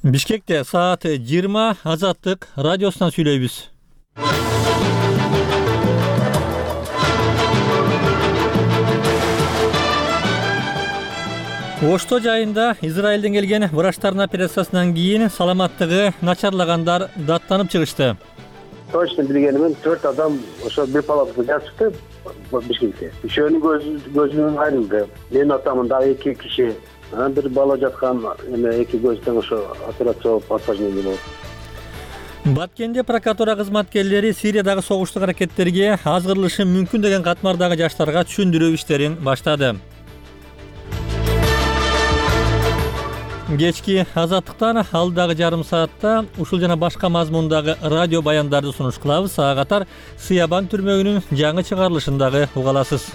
Бишкекте саат 20 Азаттык радиосунан сүйлөйбүз. Ошто жайында Израилден келген врачтардын операциясынан кийин саламаттыгы начарлагандар даттанып чыгышты. Точно билгенимен 4 адам ошо бир палатада жатышты Бишкекте. Үшөөнүн көзүнөн айрылды. Менин атамын дагы 2 киши. Бир бала жаткан эме 2 көздөн ошо операция болуп осложнение болуп. Баткенде прокуратура кызматкерлери Сириядагы согуштук аракеттерге азгырылышы мүмкүн деген катмардагы жаштарга түшүндүрүү иштерин баштады. Кечки Азаттыктан алдагы жарым саатта ушул жана башка мазмундагы радио баяндарды сунуш кылабыз. Ага катар Сыябан түрмөгүнүн жаңы чыгарылышын дагы уга аласыз.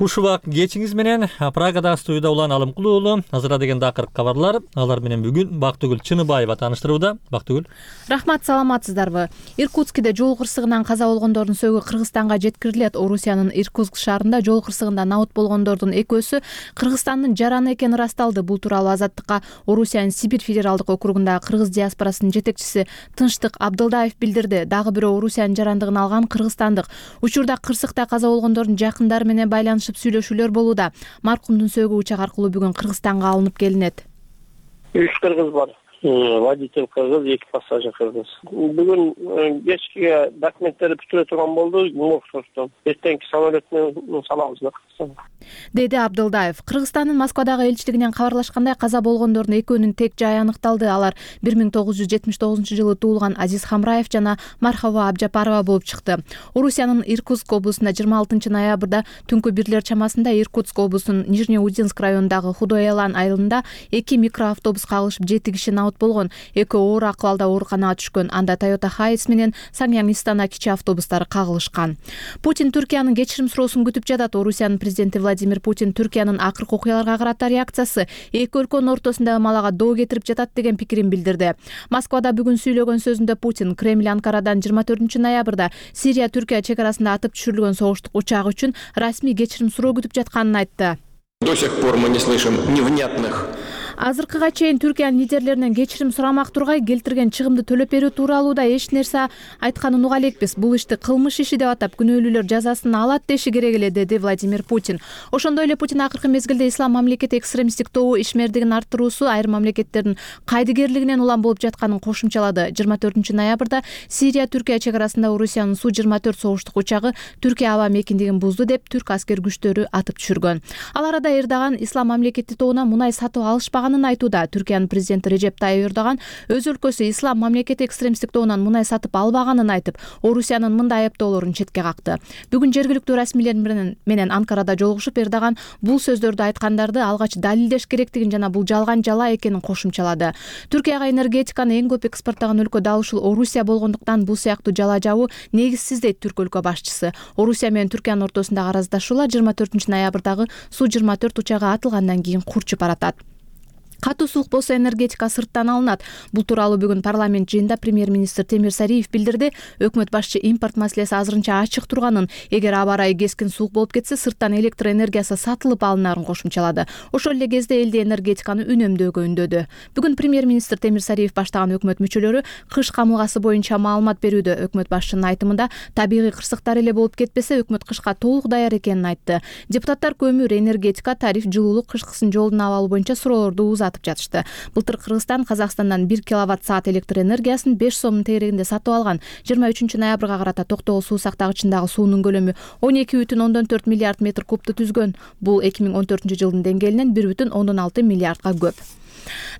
Куш убак кечиңиз менен Прагадагы студияда Улан Алымкулуу уулу. Азыра деген дакыркы кабарлар. Алар менен бүгүн Бактыгүл Чыныбаева тааныштырууда. Бактыгүл. Рахмат, саламатсыздарбы? Иркутскиде жол кырсыгынан каза болгондордун сөгү Кыргызстанга жеткирилет. Орусиянын Иркутск шаарында жол кырсыгында набыт болгондордун экөөсү Кыргызстандын жараны экени ырасталды. Бул тууралуу Азаттыкка Орусиянын Сибирь федералдык округундагы кыргыз диаспорасынын жетекчиси Тынчтык Абдылдаев билдирди. Дагы бирөө Орусиянын жарандыгын алган кыргызстандык. Учурда кырсыкта каза болгондордун жакындары менен байланышып сүйлөшүүлөр болууда. Маркумдун сөгү учак аркылуу бүгүн Кыргызстанга алынып келинет. 3 кыргыз бар. Водитель кыргыз, 2 пассажир кыргыз. Бүгүн кечке документтерди бүтүрө турган болду. Эртеңки самолет менен салабыз Кыргызстанга. Деди Абдылдаев. Кыргызстандын Москвадагы элчилигинен кабарлашкандай, каза болгондордун экөөнүн тек жайы аныкталды. Алар 1979-жылы туулган Азиз Хамраев жана Мархаба Абжапарова болуп чыкты. Орусиянын Иркутск облусунда 26 ноябрда түнкү 1 чамасында Иркутск облусунун Нижнеудинск районундагы Худоялан айылында 2 микроавтобус кагылышып 7 киши набыт болгон. Экөө оор акыбалда ооруканага түшкөн. Анда Toyota Hiace менен Sanyang Istana кичи автобустары кагылышкан. Путин Түркиянын кечирим суроосун күтүп жатат. Орусиянын президенти Владимир Путин Түркиянын акыркы окуяларга карата реакциясы эки өлкөнүн ортосундагы малага доо кетирип жатат деген пикирин билдирди. Москвада бүгүн сүйлөгөн сөзүндө Путин Кремль Анкарадан 24 ноябрда Сирия-Түркия чек арасында атып түшүрүлгөн согуштук учак үчүн расмий кечирим суроо күтүп жатканын айтты. До сих пор мы не слышим невнятных. Азыркыга чейин Түркиянын лидерлеринен кечирим сурамак тургай, келтирген чыгымды төлөп берүү тууралуу да эч нерсе айтканын уга элекпиз. Бул ишти кылмыш иши деп атап, күнөөлүүлөр жазасын алат деши керек эле, деди Владимир Путин. Ошондой эле Путин акыркы мезгилде ислам мамлекети экстремисттик тобу ишмердигин арттыруусу айрым мамлекеттердин кайдыгерлигинен улам болуп жатканын кошумчалады. 24 ноябрда Сирия-Түркия чек арасында Орусиянын Су-24 согуштук учагы Түркия аба мекиндигин бузду деп түрк аскер күчтөрү атып түшүргөн. Ал арада Эрдоган ислам мамлекети тобуна мунай сатып алышпаганын айтууда. Түркиянын президенти Режеп Тайып Эрдоган өз өлкөсү ислам мамлекети экстремисттик тобунан мунай сатып албаганын айтып, Орусиянын мындай айыптоолорун четке какты. Бүгүн жергиликтүү расмийлер менен Анкарада жолугушуп, Эрдоган бул сөздөрдү айткандарды алгач далилдеш керектигин жана бул жалган жала экенин кошумчалады. Түркияга энергетиканы эң көп экспорттогон өлкө дал ушул Орусия болгондуктан бул сыяктуу жала жабуу негизсиз дейт түрк өлкө башчысы. Орусия менен Түркиянын ортосундагы араздашуулар 24 ноябрдагы Су-24 учагы атылгандан кийин курчуп баратат. Катуу суук болсо энергетика сырттан алынат. Бул тууралуу бүгүн парламент жыйынында премьер-министр Темир Сариев билдирди. Өкмөт башчы импорт маселеси азырынча ачык турганын, эгер аба ырайы кескин суук болуп кетсе, сырттан электр энергиясы сатылып алынарын кошумчалады. Ошол эле кезде элде энергетиканы үнөмдөөгө үндөдү. Бүгүн премьер-министр Темир Сариев баштаган өкмөт мүчөлөрү кыш камылгасы боюнча маалымат берүүдө. Өкмөт башчынын айтымында, табигый кырсыктар эле болуп кетпесе, өкмөт кышка толук даяр экенин айтты. Депутаттар көмүр, энергетика, тариф, жылуулук, кышкысын жолдун абалы боюнча суроолорду жатышты. Былтыр Кыргызстан Казакстандан 1 киловатт-саат электр энергиясын 5 сомдун тегерегинде сатып алган. 23 ноябрга карата Токтогул суу сактагычындагы суунун көлөмү 12,4 миллиард метр кубту түзгөн. Бул 2014 жылдын деңгээлинен 1,6 миллиардга көп.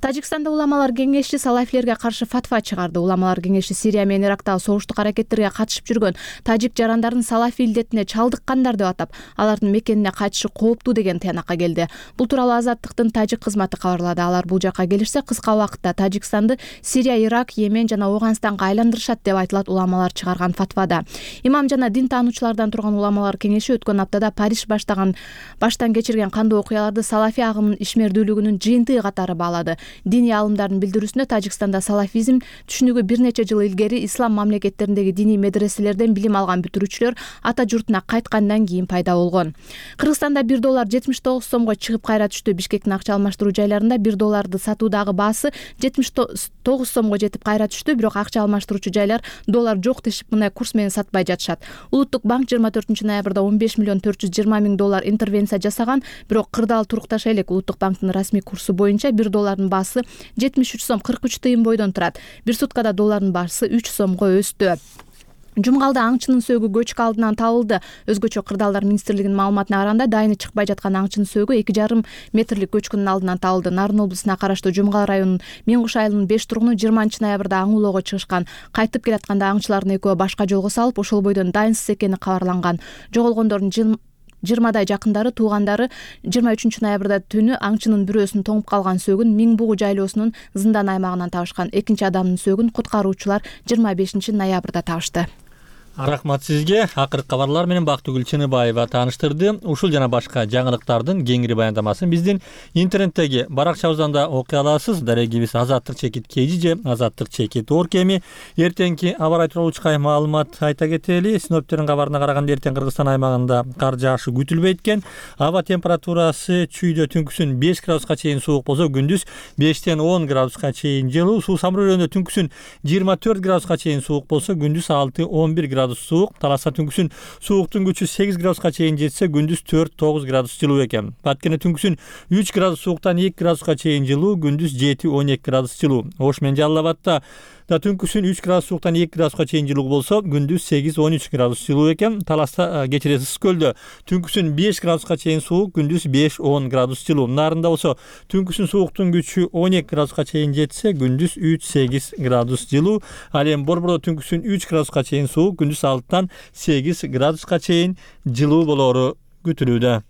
Тажикстанда уламалар кеңеши салафилерге каршы фатва чыгарды. Уламалар кеңеши Сирия менен Ирактагы согуштук аракеттерге катышып жүргөн тажик жарандарын салафи илдетине чалдыккандар деп атап, алардын мекенине кайтышы кооптуу деген тыянакка келди. Бул тууралуу Азаттыктын тажик кызматы кабарлады. Алар бул жакка келишсе, кыска убакытта Тажикстанды Сирия, Ирак, Йемен жана Афганистанга айландырышат деп айтылат уламалар чыгарган фатвада. Имам жана дин таануучулардан турган уламалар кеңеши өткөн аптада Париж баштан кечирген кандуу окуяларды салафи агымдын ишмердүүлүгүнүн жыйынтыгы катары баалады. алады. Диний аалымдардын билдирүүсүндө Тажикстанда салафизм түшүнүгү бир нече жыл илгери ислам мамлекеттериндеги диний медреселерден билим алган бүтүрүүчүлөр ата журтуна кайткандан кийин пайда болгон. Кыргызстанда $1 79 сомго чыгып кайра түштү. Бишкектин акча алмаштыруу жайларында $1 сатуудагы баасы 79 сомго жетип кайра түштү, бирок акча алмаштыруучу жайлар доллар жок дешип мындай курс менен сатпай жатышат. Улуттук банк 24 ноябрда $15,420,000 интервенция жасаган, бирок кырдаал турукташа элек. Улуттук банктын расмий курсу боюнча $1 баасы 73 сом 43 тыйын бойдон турат. Бир суткада доллардын баасы 3 сомго өстү. Жумгалда аңчынын сөөгү көчкү алдынан табылды. Өзгөчө Кырдаалдар министрлигинин маалыматына караганда, дайыны чыкпай жаткан аңчынын сөөгү 2,5 метрлик көчкүнүн алдынан табылды. Нарын облусуна караштуу Жумгал районунун Меңкуш айылынын 5 тургуну 20 ноябрда аң улоого чыгышкан. Кайтып келатканда аңчылардын экөө башка жолго салып, ошол бойдон дайынсыз экени кабарланган. Жоголгондордун 20 жакындары, туугандары 23 ноябрда түнү аңчынын бирөөсүнүн тоңуп калган сөөгүн Миң бугу жайлоосунун Зындан аймагынан табышкан. Экинчи адамдын сөөгүн куткаруучулар 25 ноябрда табышты. Рахмат сизге. Акыркы кабарлар менен Бактыгүл Чыныбаева тааныштырды. Ушул жана башка жаңылыктардын кеңири баяндамасын биздин интернеттеги баракчабыздан да окуй аласыз. Дарегибиз @azattyk @azattyk.org эми эртеңки аба ырайы тууралуу учкай маалымат айта кетели. Синоптиктердин кабарына караганда эртең Кыргызстан аймагында кар жаашы күтүлбөйт экен. Аба температурасы чүйдө түнкүсүн 5 градуска чейин суук болсо, күндүз 5 10 градуска чейин жылуу. Суу самырөөнүндө түнкүсүн 24 градуска чейин суук болсо, күндүз 6-11 градус суук. Таласта түнкүсүн сууктун күчү 8 градуска чейин жетсе, күндүз 4-9 градус жылуу экен. Баткене түнкүсүн 3 градус сууктан 2 градуска чейин жылуу, күндүз 7-12 градус жылуу. Ош менен Жалал Абадта да түнкүсүн 3 градус сууктан 2 градуска чейин жылуу болсо, күндүз 8-13 градус жылуу экен. Таласта кечиресиз Ысык көлдө түнкүсүн 5 градуска чейин суук, күндүз 5-10 градус жылуу. Нарында болсо түнкүсүн сууктун күчү 12 градуска чейин жетсе, күндүз 3-8 градус жылуу. Ал эми Борбордо түнкүсүн 3 градуска чейин суук, күндүз 6-8 градуска чейин жылуу болору күтүлүүдө.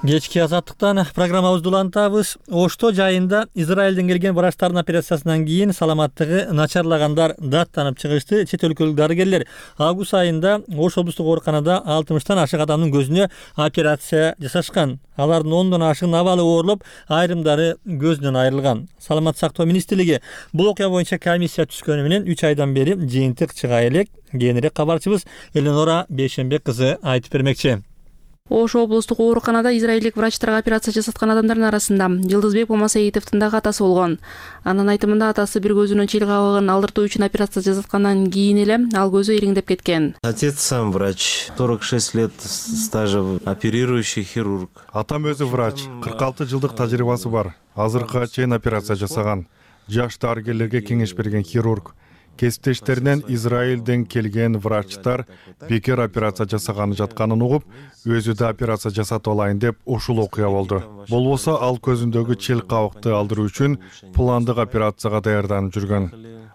Кечки азаттыктан программабызды улантабыз. Ошто жайында Израилден келген врачтардын операциясынан кийин саламаттыгы начарлагандар даттанып чыгышты. Чет өлкөлүк дарыгерлер август айында Ош облустук ооруканада 60тан ашык адамдын көзүнө операция жасашкан. Алардын 10дон ашыгынын абалы оорлоп, айрымдары көзүнөн айрылган. Саламаттык сактоо министрлиги бул окуя боюнча комиссия түзгөнү менен 3 айдан бери жыйынтык чыга элек. Кийинирээк кабарчыбыз Эленора Бейшенбек кызы айтып бермекчи. Ош облустук ооруканада израилдик врачтарга операция жасаткан адамдардын арасында Жылдызбек Момасаитовдун дагы атасы болгон. Анын айтымында, атасы бир көзүнөн чил кабыгын алдыртуу үчүн операция жасаткандан кийин эле ал көзү ириңдеп кеткен. Отец сам врач, 46 лет стажа, оперирующий хирург. Атам өзү врач, 46 жылдык тажрыйбасы бар. Азыркыга чейин операция жасаган. Жаш дарыгерлерге кеңеш берген хирург. Кесиптештеринен Израилден келген врачтар бекер операция жасаганы жатканын угуп, өзү да операция жасатып алайын деп ушул окуя болду. Болбосо ал көзүндөгү чил кабыкты алдыруу үчүн пландык операцияга даярданып жүргөн.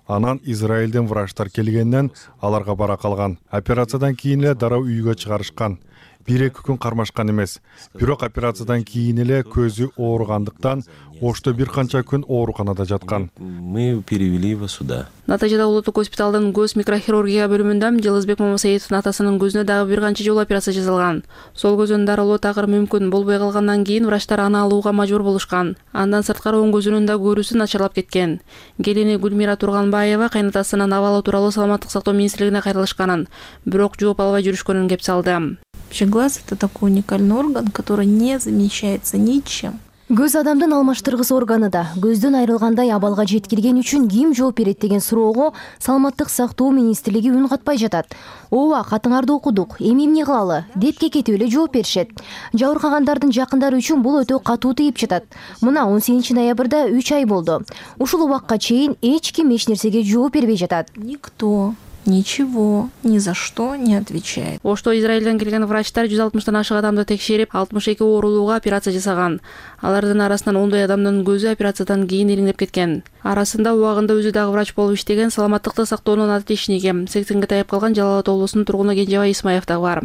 Анан Израилден врачтар келгенден аларга бара калган. Операциядан кийин эле дароо үйгө чыгарышкан. 1-2 күн кармашкан эмес. Бирок операциядан кийин эле көзү ооругандыктан Ошто бир канча күн ооруканада жаткан. Мы перевели его сюда. Натыйжада улуттук госпиталдын көз микрохирургия бөлүмүндө Жылдызбек Момасаитовдун атасынын көзүнө дагы бир канча жолу операция жасалган. Сол көзүнүн дарылоо такыр мүмкүн болбой калгандан кийин врачтар аны алууга мажбур болушкан. Андан сырткары оң көзүнүн да көрүүсү начарлап кеткен. Келини Гүлмира Турганбаева кайнатасынын абалы тууралуу саламаттык сактоо министрлигине кайрылышканын, бирок жооп албай жүрүшкөнүн кеп салды. Вообще глаз — это такой уникальный орган, который не замещается ничем. Көз адамдын алмаштыргыс органы да. Көздөн айрылгандай абалга жеткирген үчүн ким жооп берет деген суроого саламаттык сактоо министрлиги үн катпай жатат. Ооба, катыңарды окудук, эми эмне кылалы деп кекетип эле жооп беришет. Жабыркагандардын жакындары үчүн бул өтө катуу тийип жатат. Мына 18 ноябрда 3 ай болду. Ушул убакка чейин эч ким эч нерсеге жооп бербей жатат. Никто ничего, ни за что не отвечает. Ошто Израилден келген врачтар 160тан ашык адамды текшерип, 62 оорулууга операция жасаган. Алардын арасынан 10 адамдын көзү операциядан кийин ириңдеп кеткен. Арасында убагында өзү дагы врач болуп иштеген саламаттыкты сактоонун атечниги, 80ге таяп калган Жалал Абад облусунун тургуну Кенжебай Исмаев дагы бар.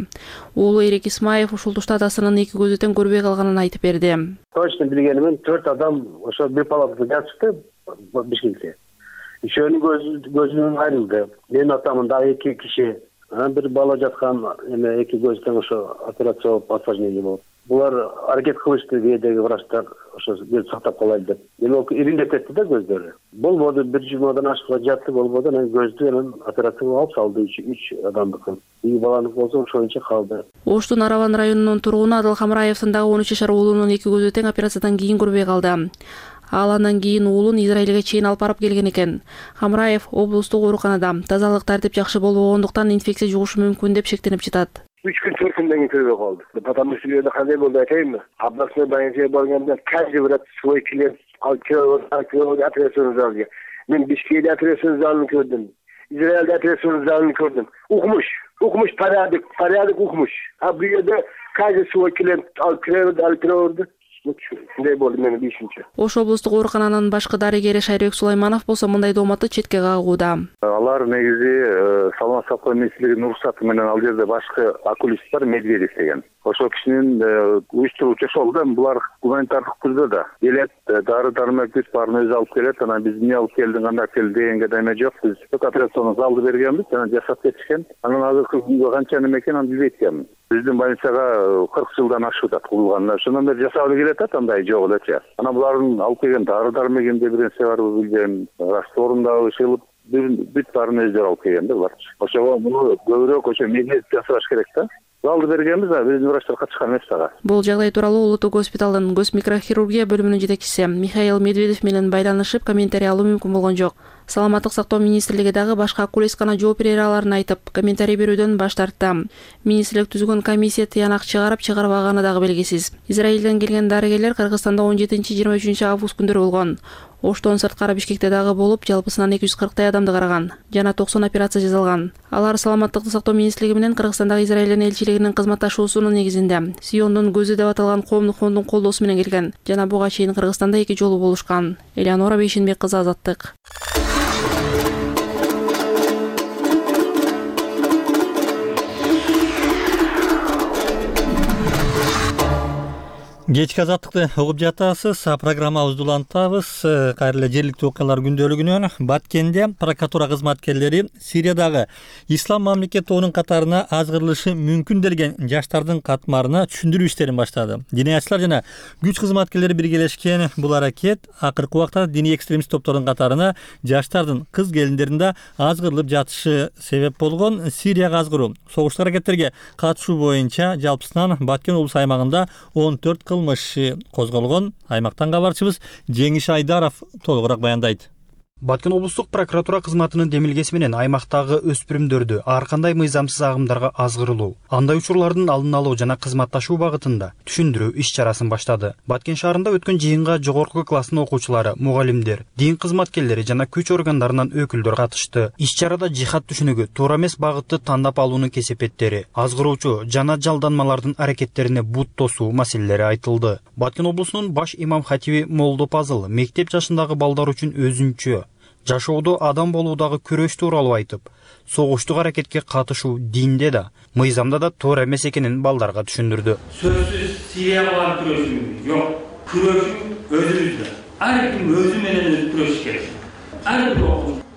Уулу Эрик Исмаев ушул тушта атасынын 2 көзү тең көрбөй калганын айтып берди. Точно билгенимен 4 адам ошо бир палатада жатышты Бишкекте. Үшөөнүн көзүнөн айрылды. Менин атамын дагы 2 киши бир бала жаткан эме эки көз тең ошо операция болуп осложнение болуп. Булар аракет кылышты кээдеги врачтар ошо көз сактап калайлы деп. Эми ол ириндеп кетти да көздөрү. Болбоду, бир жумадан ашыкка жатты, болбоду. Анан көздү анан операция алып салды 3 адамдыкын. Эки баланыкы болсо ошончо калды. Оштун Араван районунун тургуну Адыл Хамраевдин дагы 13 жашар уулунун эки көзү тең операциядан кийин көрбөй калды. Ал андан кийин уулун Израилге чейин алып барып келген экен. Хамраев облустук ооруканада тазалык тартип жакшы болбогондуктан инфекция жугушу мүмкүн деп шектенип жатат. 3 күн 4 күндөн кийин көрбөй калды. Потому что жерде кандай болду айтайынбы? Областной больницага барганда каждый врач свой клиент алып операциялык залга. Мен Бишкекте операциялык залын көрдүм. Израилде операциялык залын көрдүм. Укмуш порядок укмуш. А бу жерде каждый свой клиент алып кирди. Мындай болду менин бишинчи. Ош облустук оорукананын башкы дарыгери Шайрек Сулайманов болсо мындай дооматты четке кагууда. Алар негизи саламаттык сактоо министрлигинин уруксаты менен ал жерде башкы окулист бар, Медведев деген. Ошол кишинин уюштуруучу ошол да, булар гуманитардык түрдө да келет, дары-дармек баарын өзү алып келет. Анан биз эмне алып келдиң, кандай келди дегенге да эме жок. Биз операционный залды бергенбиз, анан жашап кетишкен. Анан азыркы күнгө канча неме экенин аны билбейт экенмин. Биздин больницага 40 жылдан ашып атат курулганына. Ошондон бери жасалып келет атат, андай жок элечи. Анан булардын алып келген дары-дармегинде бир нерсе барбы билбейм. Растворундагы ышылып бүт баарын өздөрү алып келген да булар. Ошого муну көбүрөөк ошо медицине жасаш керек да. Залды бергенбиз, биздин врачтар катышкан эмес дагы. Бул жагдай тууралуу Улуттук госпиталдын көз микрохирургия бөлүмүнүн жетекчиси Михаил Медведев менен байланышып комментарий алуу мүмкүн болгон жок. Саламаттык сактоо министрлиги дагы башка окулисткана жооп бере аларын айтып, комментарий берүүдөн баш тартты. Министрлик түзгөн комиссия тыянак чыгарып-чыгарбаганы дагы белгисиз. Израилден келген дарыгерлер Кыргызстанда 17-23 август күндөрү болгон. Оштон сырткары Бишкекте дагы болуп, жалпысынан 240 адамды караган жана 90 операция жасалган. Алар саламаттыкты сактоо министрлиги менен Кыргызстандагы Израилдин элчилигинин кызматташуусунун негизинде Сиондун көзү деп аталган коомдук фондун колдоосу менен келген жана буга чейин Кыргызстанда 2 жолу болушкан. Элеонора Бейшенбек кызы, Азаттык. Кечки Азаттыкты угуп жатасыз. Программабызды улантабыз. Кайра эле жергиликтүү окуялар күндөлүгүнөн Баткенде прокуратура кызматкерлери Сириядагы ислам мамлекет тобунун катарына азгырылышы мүмкүн делген жаштардын катмарына түшүндүрүү иштерин баштады. Диниячылар жана күч кызматкерлери биргелешкен бул аракет акыркы убакта диний экстремист топтордун катарына жаштардын кыз келиндерин да азгырылып жатышы себеп болгон. Сирияга азгыруу, согуштук аракеттерге катышуу боюнча жалпысынан Баткен облус аймагында 14 кылмыш козголгон. Аймактан кабарчыбыз Жеңиш Айдаров толугураак баяндайт. Баткен облустук прокуратура кызматынын демилгеси менен аймактагы өспүрүмдөрдү ар кандай мыйзамсыз агымдарга азгырылуу, андай учурлардын алдын алуу жана кызматташуу багытында түшүндүрүү иш чарасын баштады. Баткен шаарында өткөн жыйынга жогорку класстын окуучулары, мугалимдер, дин кызматкерлери жана күч органдарынан өкүлдөр катышты. Иш чарада жихад түшүнүгү, туура эмес багытты тандап алуунун кесепеттери, азгыруучу жана жалданмалардын аракеттерине бут тосуу маселелери айтылды. Баткен облусунун баш имам хатиби Молдо Пазыл мектеп жашындагы балдар үчүн өзүнчө жашоодо адам болуудагы күрөш тууралуу айтып, согуштук аракетке катышуу динде да, мыйзамда да туура эмес экенин балдарга түшүндүрдү. Сөзсүз Сирияга күрөшүү жок, күрөшүү өзүбүздө. Ар ким өзү менен өзү күрөшүш керек. Ар бир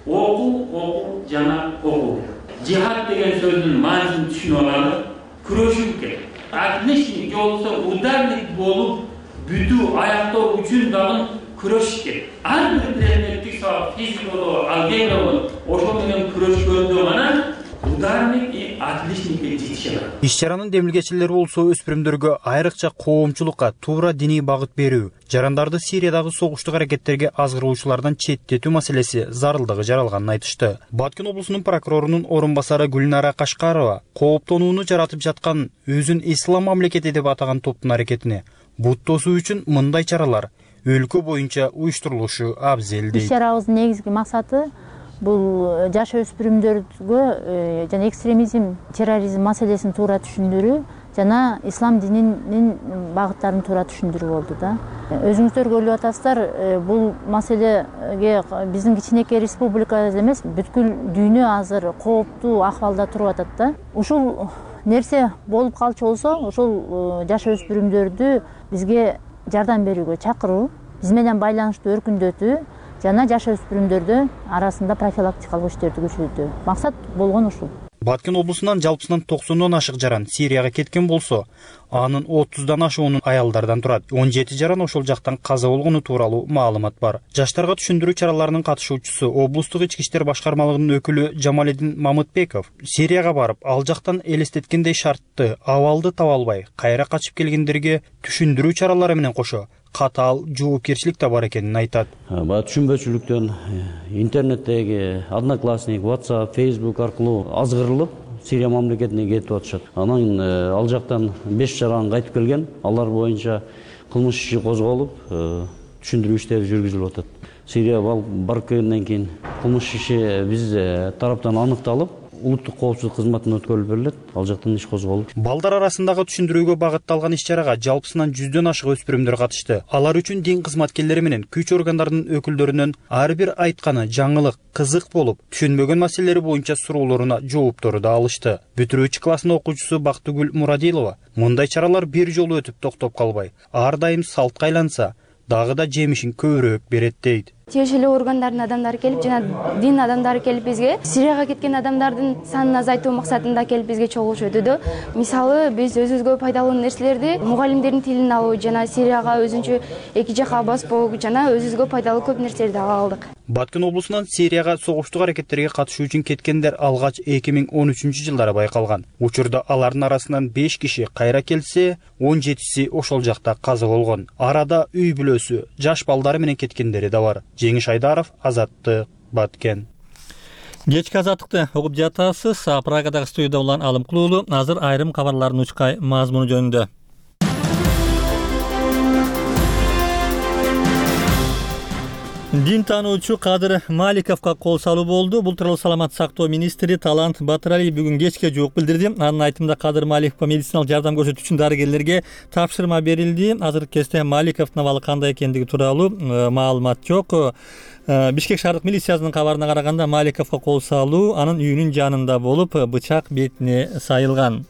окуу жана окуу. Жихад деген сөздүн маанисин түшүнүп алалы, күрөшүү керек. Отличник болсо ударник болуп, бүтүү аяктоо үчүн дагы күрөш керек. Ар бир предметтик сабак, физика болобу, алгебра болобу, ошол менен күрөшкөндө гана ударник и отличникке жетише алат. Иш чаранын демилгечилери болсо өспүрүмдөргө айрыкча коомчулукка туура диний багыт берүү, жарандарды Сириядагы согуштук аракеттерге азгыруучулардан четтетүү маселеси зарылдыгы жаралганын айтышты. Баткен облусунун прокурорунун орун басары Гүлнара Кашкарова кооптонууну жаратып жаткан өзүн ислам мамлекети деп атаган топтун аракетине бут тосуу үчүн мындай чаралар өлкө боюнча уюштурулушу абзел дейт. Иш чарабыздын негизги максаты бул жаш өспүрүмдөргө жана экстремизм, терроризм маселесин туура түшүндүрүү жана ислам дининин багыттарын туура түшүндүрүү болду да. Өзүңүздөр көрүп атасыздар, бул маселеге биздин кичинекей республикада эмес, бүткүл дүйнө азыр кооптуу акыбалда туруп атат да. Ушул нерсе болуп калчу болсо, ошол жаш өспүрүмдөрдү бизге жардам берүүгө чакыруу, биз менен байланышты өркүндөтүү жана жаш өспүрүмдөрдү арасында профилактикалык иштерди күчөтүү. Максат болгон ушул. Баткен облусунан жалпысынан 90 ашык жаран Сирияга кеткен болсо, анын 30 ашуунун аялдардан турат. 17 жаран ошол жактан каза болгону тууралуу маалымат бар. Жаштарга түшүндүрүү чараларынын катышуучусу облустук ички иштер башкармалыгынын өкүлү Жамаледин Мамытбеков Сирияга барып, ал жактан элестеткендей шартты, абалды таба албай, кайра качып келгендерге түшүндүрүү чаралары менен кошо катаал жоопкерчилик да бар экенин айтат. Түшүнбөчүлүктөн интернеттеги Одноклассник, WhatsApp, Facebook аркылуу азгырылып Сирия мамлекетине кетип атышат. Анан ал жактан 5 жаран кайтып келген. Алар боюнча кылмыш иши козголуп, түшүндүрүү иштери жүргүзүлүп атат. Сирия барып келгенден кийин кылмыш иши биз тараптан аныкталып, улуттук коопсуздук кызматына өткөрүлүп берилет. Ал жактан иш козголуп. Балдар арасындагы түшүндүрүүгө багытталган иш-чарага жалпысынан 100дөн ашык өспүрүмдөр катышты. Алар үчүн дин кызматкерлери менен күч органдарынын өкүлдөрүнөн ар бир айтканы жаңылык, кызык болуп, түшүнбөгөн маселелери боюнча суроолоруна жооптору да алышты. Бүтүрүүчү класстын окуучусу Бактыгүл Мурадилова мындай чаралар бир жолу өтүп токтоп калбай, ар дайым салтка айланса, дагы да жемишин көбүрөөк берет дейт. Тиешелүү органдардын адамдары келип, жана дин адамдары келип бизге Сирияга кеткен адамдардын санын азайтуу максатында келип бизге чогулуш өтүүдө. Мисалы, биз өзүбүзгө пайдалуу нерселерди, мугалимдердин тилин алуу жана Сирияга өзүнчө эки жака баспоо жана өзүбүзгө пайдалуу көп нерселерди ала алдык. Баткен облусунан Сирияга согуштук аракеттерге катышуу үчүн кеткендер алгач 2013-жылдары байкалган. Учурда алардын арасынан 5 киши кайра келсе, 17си ошол жакта каза болгон. Арада үй бүлөсү, жаш балдары менен кеткендери да бар. Жеңиш Айдаров, Азаттык, Баткен. Кечки азаттыкты угуп жатасыз. Прагадагы студияда улан Алым Кулуулу азыр айрым кабарлардын учкай мазмуну жөнүндө. Дин таануучу Кадыр Маликовго кол салуу болду. Бул тууралуу саламаттык сактоо министри Талант Батыралиев бүгүн кечке жооп билдирди. Анын айтымында Кадыр Маликовго медициналык жардам көрсөтүү үчүн дарыгерлерге тапшырма берилди. Азыркы кезде Маликовдун абалы кандай экендиги тууралуу маалымат жок. Бишкек шаардык милициясынын кабарына караганда Маликовго кол салуу анын үйүнүн жанында болуп, бычак бетине сайылган.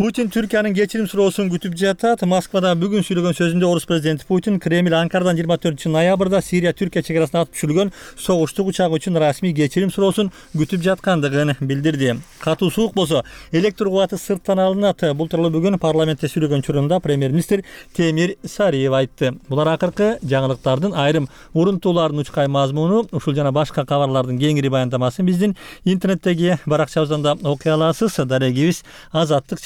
Путин Түркиянын кечирим суроосун күтүп жатат. Москвада бүгүн сүйлөгөн сөзүндө орус президенти Путин Кремль Анкарадан 24-ноябрда Сирия Түркия чек арасына атып түшүрүлгөн согуштук учагы үчүн расмий кечирим суроосун күтүп жаткандыгын билдирди. Катуу суук болсо электр кубаты сырттан алынат. Бул тууралуу бүгүн парламентте сүйлөгөн учурунда премьер-министр Темир Сариев айтты. Булар акыркы жаңылыктардын айрым урунтуулардын учкай мазмуну. Ушул жана башка кабарлардын кеңири баяндамасын биздин интернеттеги баракчабыздан да окуй аласыз. Дарегибиз Азаттык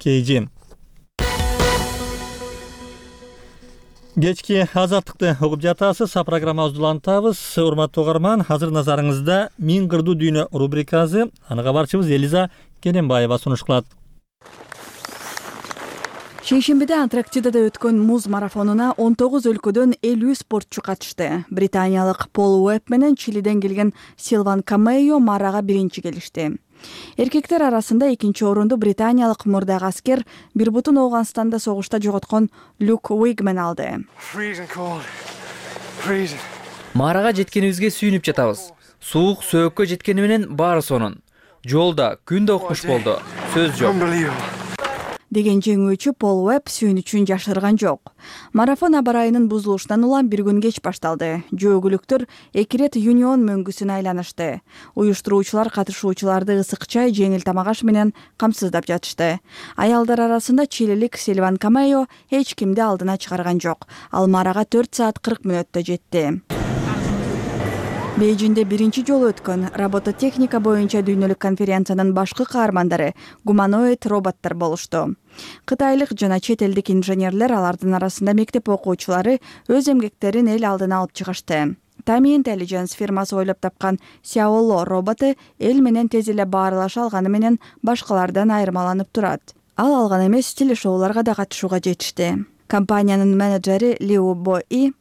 Кейжи. Кечки азаттыкты угуп жатасыз. Программабызды улантабыз. Урматтуу угарман, азыр назарыңызда Миң кырдуу дүйнө рубрикасы. Аны кабарчыбыз Элиза Кененбаева сунуш кылат. Шейшембиде Антарктидада өткөн муз марафонуна 19 өлкөдөн 50 спортчу катышты. Британиялык Пол Уэбб менен Чилиден келген Силван Камейо марага биринчи келишти. Эркектер арасында экинчи орунду британиялык мурдагы аскер бир бутун Ооганстанда согушта жоготкон Люк Уигмен алды. Марага жеткенибизге сүйүнүп жатабыз. Суук сөөккө жеткени менен баары сонун. Жолда күн да укмуш болду. Сөз жок. Деген жеңүүчү Пол Уэбб сүйүнүчүн жашырган жок. Марафон аба ырайынын бузулушунан улам бир күн кеч башталды. Жөөгүлүктөр 2 рет Юнион мөңгүсүн айланышты. Уюштуруучулар катышуучуларды ысык чай, жеңил тамак аш менен камсыздап жатышты. Аялдар арасында чилилик Силван Камейо эч кимди алдына чыгарган жок. Ал марага 4 саат 40 мүнөттө жетти. Бейжинде биринчи жолу өткөн робототехника боюнча дүйнөлүк конференциянын башкы каармандары гуманоид роботтор болушту. Кытайлык жана чет элдик инженерлер, алардын арасында мектеп окуучулары өз эмгектерин эл алдына алып чыгышты. Tami Intelligence фирмасы ойлоп тапкан Xiaolo роботу эл менен тез эле баарлаша алганы менен башкалардан айырмаланып турат. Ал алган эмес, телешоуларга да катышууга жетишти. Компаниянын менеджери Liu Bo-i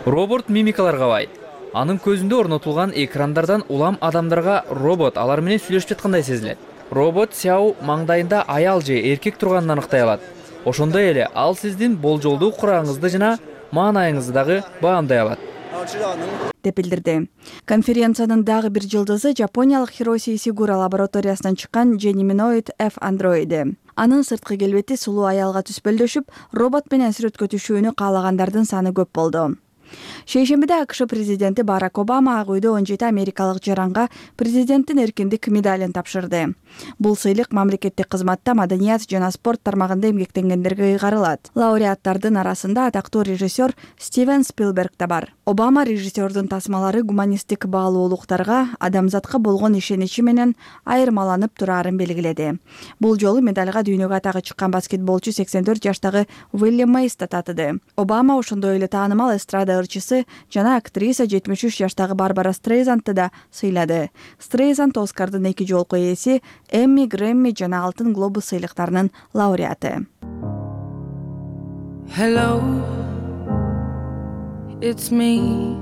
Робот мимикаларга бай. Анын көзүндө орнотулган экрандардан улам адамдарга робот алар менен сүйлөшүп жаткандай сезилет. Робот Xiao маңдайында аял же эркек турганын аныктай алат. Ошондой эле ал сиздин болжолдуу курагыңызды жана маанайыңызды дагы баамдай алат. деп билдирди. Конференциянын дагы бир жылдызы жапониялык Hiroshi Isegura лабораториясынан чыккан Geminoid F андроиди. Анын сырткы келбети сулуу аялга түспөлдөшүп, робот менен сүрөткө түшүүнү каалагандардын саны көп болду. Шейшембиде АКШ президенти Барак Обама Ак үйдө 17 америкалык жаранга президенттин эркиндик медалын тапшырды. Бул сыйлык мамлекеттик кызматта маданият жана спорт тармагында эмгектенгендерге ыйгарылат. Лауреаттардын арасында атактуу режиссер Стивен Спилберг да бар. Обама режиссердун тасмалары гуманисттик баалуулуктарга, адамзатка болгон ишеничи менен айырмаланып турарын белгиледи. Бул жолу медалга дүйнөгө атагы чыккан баскетболчу 84 жаштагы Уильям Мейс да татыды. Обама ошондой эле таанымал эстрада ырчысы жана актриса 73 жаштагы Барбара Стрейзандты да сыйлады. Стрейзанд Оскардын 2 жолку ээси, Эмми, Грэмми жана Алтын глобус сыйлыктарынын лауреаты. Hello, it's me.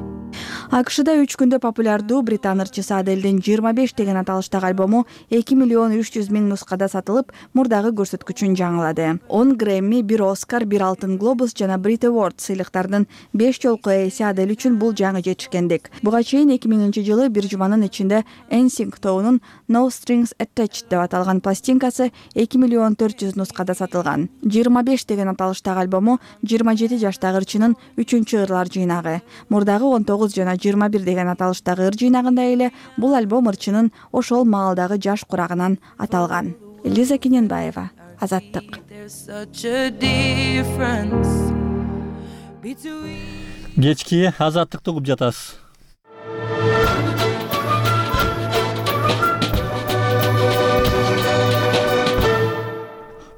АКШда 3 күндө популярдуу британ ырчысы Аделдин 25 деген аталыштагы альбому 2 миллион 300 миң нускада сатылып, мурдагы көрсөткүчүн жаңылады. 10 Грэмми, 1 Оскар, 1 Алтын глобус жана Brit Award сыйлыктарынын 5 жолку ээси Адель үчүн бул жаңы жетишкендик. Буга чейин 2000-жылы бир жуманын ичинде NSYNC тобунун No Strings Attached деп аталган пластинкасы 2 миллион 400 нускада сатылган. 25 деген аталыштагы альбому 27 жаштагы ырчынын 3-чү ырлар жыйнагы. Мурдагы 19 жана 21 деген аталыштагы ыр жыйнагында эле бул альбом ырчынын ошол маалдагы жаш курагынан аталган. Лиза Кененбаева, Азаттык. Кечки Азаттыкты угуп жатасыз.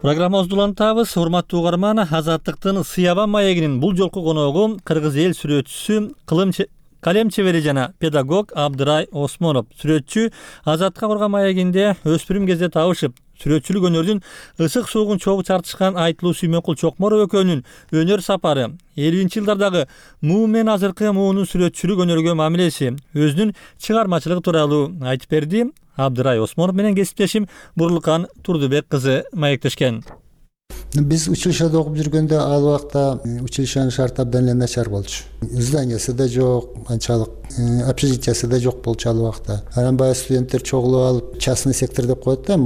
Программабызды улантабыз. Урматтуу угарман, Азаттыктын Сыяба маегинин бул жолку коногу кыргыз эл сүрөтчүсү, калем чебери жана педагог Абдырай Осмонов. Сүрөтчү Азаттыкка курган маегинде өспүрүм кезде табышып, сүрөтчүлүк өнөрдүн ысык суугун чогуу чартышкан Айтылуу Сүймөнкул Чокморов экөөнүн өнөр сапары, 50-жылдардагы муу менен азыркы муунун сүрөтчүлүк өнөргө мамилеси, өзүнүн чыгармачылыгы тууралуу айтып берди. Абдырай Осмонов менен кесиптешим Бурлукан Турдубек кызы маектешкен. Биз училищеде окуп жүргөндө ал убакта училищенин шарты абдан эле начар болчу. Зданиясы да жок, анчалык общежитиясы да жок болчу ал убакта. Анан баягы студенттер чогулуп алып, частный сектор деп коет да,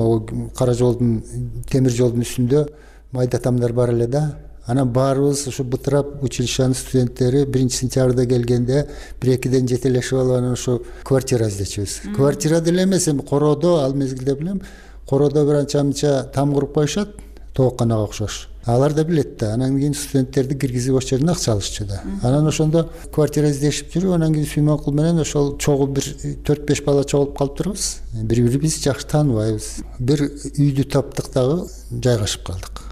кара жолдун, темир жолдун үстүндө майда тамдар бар эле да. Анан баарыбыз ушу бытырап училищенин студенттери 1-сентябрда келгенде 1-2ден жетелешип алып анан ушу квартира издечүбүз. Квартира деле эмес, эми короодо, ал мезгилде билем, короодо бир анча-мынча там куруп коюшат, тоокканага окшош. Алар да билет да. Анан кийин студенттерди киргизип ошол жерден акча алышчу да. Анан ошондо квартира издешип жүрүп, анан кийин Сүймөнкул менен ошол чогуу бир 4-5 бала чогулуп калып турбуз. Бири-бирибизди жакшы тааныбайбыз. Бир үйдү таптык дагы жайгашып калдык.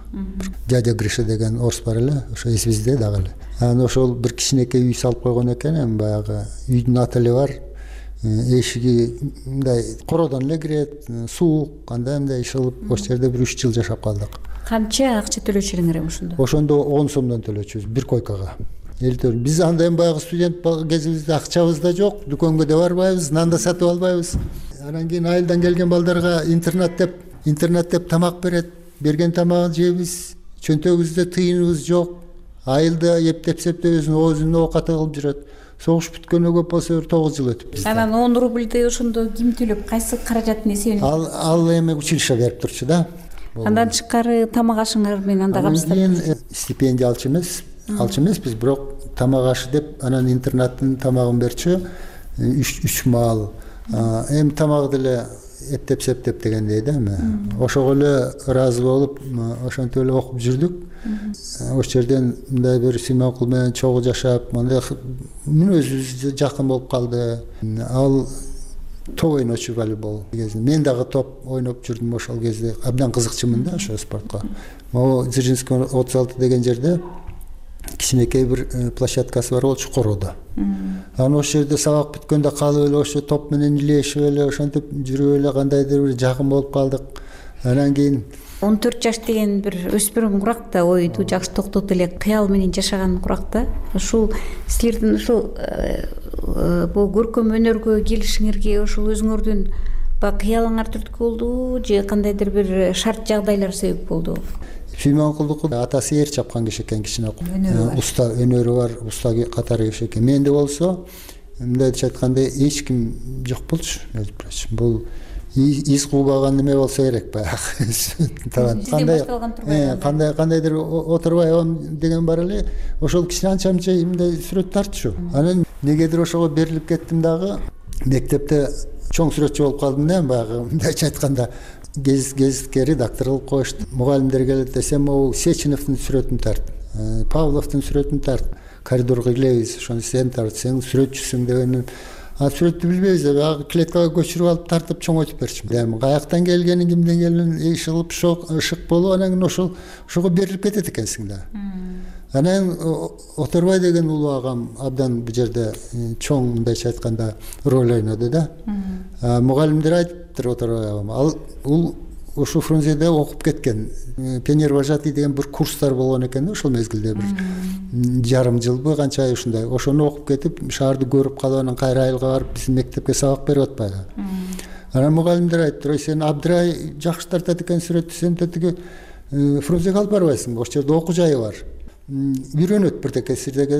Дядя Гриша деген орус бар эле, ошо эсибизде дагы эле. Анан ошол бир кичинекей үй салып койгон экен, эми баягы үйдүн аты эле бар. Эшиги мындай короодон эле кирет, суук, кандай ишылып, ошол жерде бир 3 жыл жашап калдык. Канча акча төлөчү элеңер ошондо? Ошондо 10 сомдон төлөчүбүз бир койкага. Биз анда эми баягы студент кезибизде акчабыз да жок, дүкөнгө да барбайбыз, нан да сатып албайбыз. Анан кийин айылдан келген балдарга интернат деп тамак берет. Берген тамагын жейбиз, чөнтөгүбүздө тыйыныбыз жок. Айылда эптеп-септеп өзүнүн оокаты кылып жүрөт. Согуш бүткөнгө көп болсо 9 жыл өтүп бизде. Анан 10 рубльди ошондо ким төлөп, кайсы каражаттын эсебинен? Ал эми училище берип турчу да. Андан тышкары тамак ашыңар менен анда камсыздап. Кийин стипендия алчу эмеспиз, бирок тамак ашы деп анан интернаттын тамагын берчү 3 маал. Эми тамак деле эптеп-септеп дегендей да эми. Ошого эле ыраазы болуп, ошентип эле окуп жүрдүк. Ошол жерден мындай бир Сүймөнкул менен чогуу жашап, мындай мүнөзүбүз жакын болуп калды. Ал топ ойночу волейбол кезинде. Мен дагы топ ойноп жүрдүм ошол кезде. Абдан кызыкчумун да ошо спортко. Могу Дзержинский 36 деген жерде кичинекей бир площадкасы бар болчу короодо. Анан ошол жерде сабак бүткөндө калып эле ошо топ менен илешип эле ошентип жүрүп эле кандайдыр бир жакын болуп калдык. Анан кийин 14 жаш деген бир өспүрүм курак да, ойду жакшы токтотуп эле кыял менен жашаган курак да. Ушул силердин ушул бул көркөм өнөргө келишиңерге ошол өзүңөрдүн кыялыңар түрткү болдубу же кандайдыр бир шарт жагдайлар себеп болдубу? Сүймөнкулдуку атасы эр чапкан киши экен, кичине уста өнөрү бар, уста катары киши экен. Менде болсо мындайча айтканда эч ким жок болчу. Бул из куубаган неме болсо керек баягы талант кандайдыр отурбай алам деген бар эле ошол кичине анча мынча мындай сүрөт тартчу. Анан негедир ошого берилип кеттим дагы мектепте чоң сүрөтчү болуп калдым да баягы мындайча айтканда гезитке редактор кылып коюшту. Мугалимдер келет десем могу Сеченовдун сүрөтүн тарт, Павловдун сүрөтүн тарт, коридорго кийлебиз ошону сен тарт, сен сүрөтчүсүң дегенин. Сүрөттү билбейбиз баягы клеткага көчүрүп алып тартып чоңойтуп берчүмүн. Эми каяктан келгенин, кимден келгенин иш кылып ышык болуп анан ошого берилип кетет экенсиң да. Анан Оторбай деген улуу агам абдан бул жерде чоң мындайча айтканда роль ойноду да. Мугалимдер айтыптыр Оторбай агам. Ал ушу Фрунзеде окуп кеткен. Пионер-вожатый деген бир курстар болгон экен да ошол мезгилде бир жарым жылбы канча ай ушундай. Ошону окуп кетип шаарды көрүп калып анан кайра айылга барып биздин мектепке сабак берип атпайбы. Анан мугалимдер айтты: "Ой, сен Абдрай жакшы тартат экен сүрөттү, сен тетиги Фрунзеге алып барбайсыңбы? Ошол жерде окуу жайы бар. Үйрөнөт бирдеке сирдеге."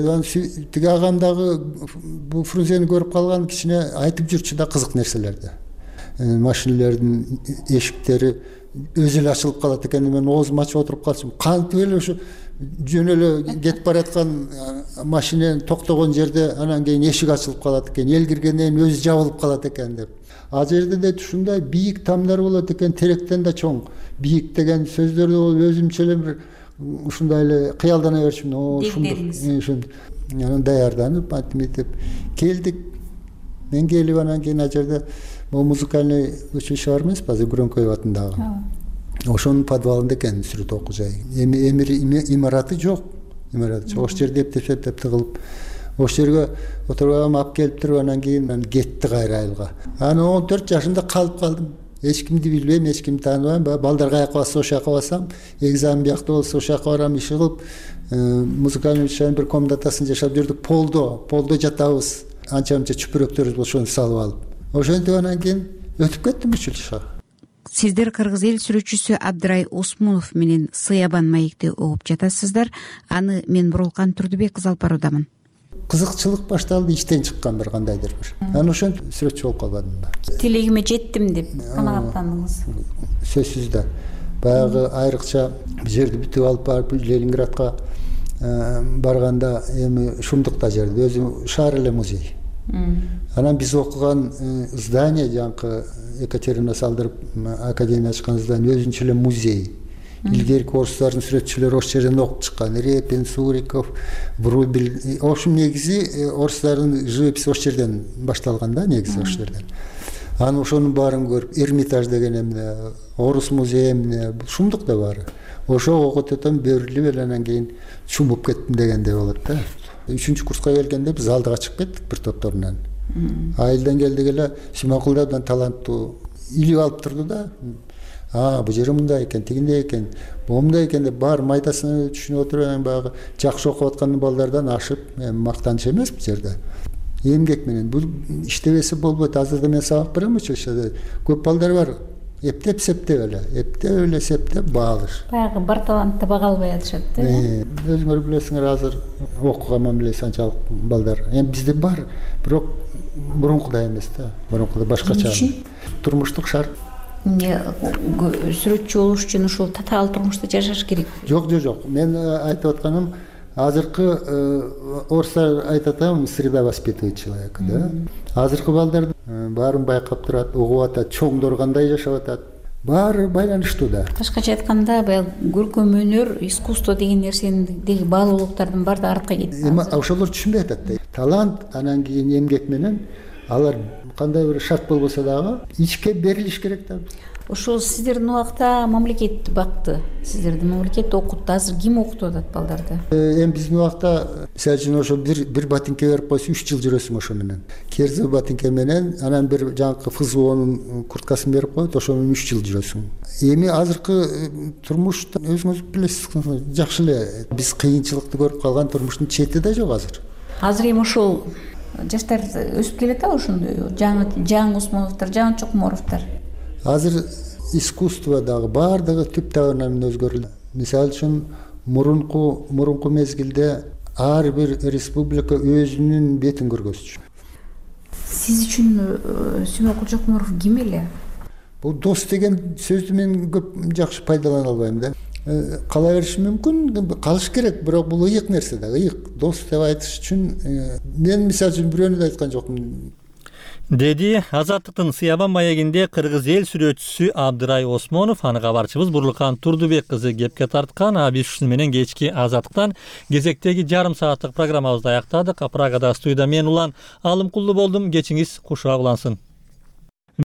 Тиги агам дагы бул Фрунзени көрүп калган кичине айтып жүрчү да кызык нерселерди. Машинелердин эшиктери өзү эле ачылып калат экен. Мен оозумду ачып отуруп калчумун. Кантип эле ошо жөн эле кетип бараткан машина токтогон жерде анан кийин эшик ачылып калат экен. Эл киргенден кийин өзү жабылып калат экен деп. Ал жерде да ушундай бийик тамдар болот экен, теректен да чоң. Бийик деген сөздөрдү өзүмчө эле бир ушундай эле кыялдана берчүмүн. Ушундук. Анан даярданып, антип келдик. Мен келип анан кийин ал жерде музыкальный училище бар эмеспи, азыр Громкоев атындагы. Ошонун подвалында экен сүрөт окуу жайы. Эми имараты жок. Ошол жерде эптеп тыгылып, ошол жерге Оторбайга алып келиптир, анан кийин кетти кайра айылга. Анан 14 жашымда калып калдым. Эч кимди билбейм, эч кимди тааныбайм. Балдар каяка барса ошол жака басам, экзамен биякта болсо ошол жака барам, иш кылып, музыкальный училищенин бир комнатасын жашап жүрдүк. Полдо жатабыз. Анча-мынча чүпүрөктөрүбүз ошону салып алып. Ошентип анан кийин өтүп кеттим училищеге. Сиздер кыргыз эл сүрөтчүсү Абдрай Осмонов менен Сыябан маекти угуп жатасыздар. Аны мен Бурулкан Турдубек кызы алып баруудамын. Кызыкчылык башталды, иштен чыккан бир кандайдыр бир. Анан ошентип сүрөтчү болуп калбадым да. Тилегиме жеттим деп канааттандыңыз. Сөзсүз да. Баягы айрыкча бул жерди бүтүп алып барып Ленинградка барганда эми Шумдукта жерде өзү шаар эле музей. Анан биз окуган здание жанакы Екатерина салдырып академия ачкан здание өзүнчө эле музей. Илгерки орустардын сүрөтчүлөрү ошол жерден окуп чыккан. Репин, Суриков, Врубель. Ошол негизи орустардын живописи ошол жерден башталган да, негизи ошол жерден. Анан ошонун баарын көрүп, Эрмитаж деген эмне, Орус музейи эмне, Шумдукта баары. Ошо окуп атам берилип эле анан кийин чумуп кеттим дегендей болот да. 3-чү курска келгенде биз алдыга чыгып кеттик бир топтор менен. Айылдан келдик эле Симакулдардан таланттуу илип алып турду да. Бул жери мындай экен, тигиндей экен, момундай экен деп бар майдасына түшүнүп отуруп анан баягы жакшы окуп аткан балдардан ашып, мактаныч эмес бул жерде. Эмгек менен бул иштебесе болбойт. Азырда мен сабак берем училищеде. Көп балдар бар. Эптеп эле септеп баалыш. Баягы бар талантты бага албай атышат да. Өзүңөр билесиңер, азыр окуганман билесиз анчалык балдар. Эми бизде бар, бирок мурункудай эмес да. Мурункуда башкача. Турмуштук шарт. Сүрөтчү болуш үчүн ушул татаал турмушта жашаш керек. Жок. Мен айтып атканым, азыркы орустар айтат среда воспитывает человека, да. Азыркы балдар баарын байкап турат, угуп атат, чоңдор кандай жашап атат. Баары байланыштуу да. Башкача айтканда, баягы көркөм өнөр, искусство деген нерсенин баалуулуктардын баардыгы артка кетти. Эми ошолор түшүнбөй атат да. Талант анан кийин эмгек менен алар кандай бир шарт болбосо дагы ичке берилиш керек да. Ошол сиздердин убакта мамлекет бакты, сиздерди мамлекет окутту. Азыр ким окутуп атат балдарды? Эми биздин убакта мисалы үчүн ошо бир ботинке берип койсо 3 жыл жүрөсүң ошо менен. Керзе ботинке менен анан бир жанакы ФЗОнун курткасын берип коет, ошо менен 3 жыл жүрөсүң. Эми азыркы турмушта өзүңүз билесиз, жакшы эле биз кыйынчылыкты көрүп калган турмуштун чети да жок азыр. Азыр эми ошол жаштар өсүп келет ошондой жаңы Усмоновдор, жаңы Чокморовдор. Азыр искусство дагы баардыгы түп табынан өзгөрүлдү. Мисалы үчүн мурунку мезгилде ар бир республика өзүнүн бетин көргөзчү. Сиз үчүн Сүймөкул Чокморов ким эле? бул дос деген сөздү мен көп жакшы пайдалана албайм да. Кала бериши мүмкүн, калыш керек, бирок бул ыйык нерсе да. Ыйык дос деп айтыш үчүн мен мисалы үчүн бирөөнү да айткан жокмун. Деди Азаттыктын Сыябан маегинде кыргыз эл сүрөтчүсү Абдырай Осмонов. Аны кабарчыбыз Бурлукан Турдубек кызы кепке тарткан. Биз ушуну менен кечки Азаттыктан кезектеги жарым сааттык программабызды аяктадык. Прагада студияда мен Улан Алымкулду болдум. Кечиңиз кушак улансын.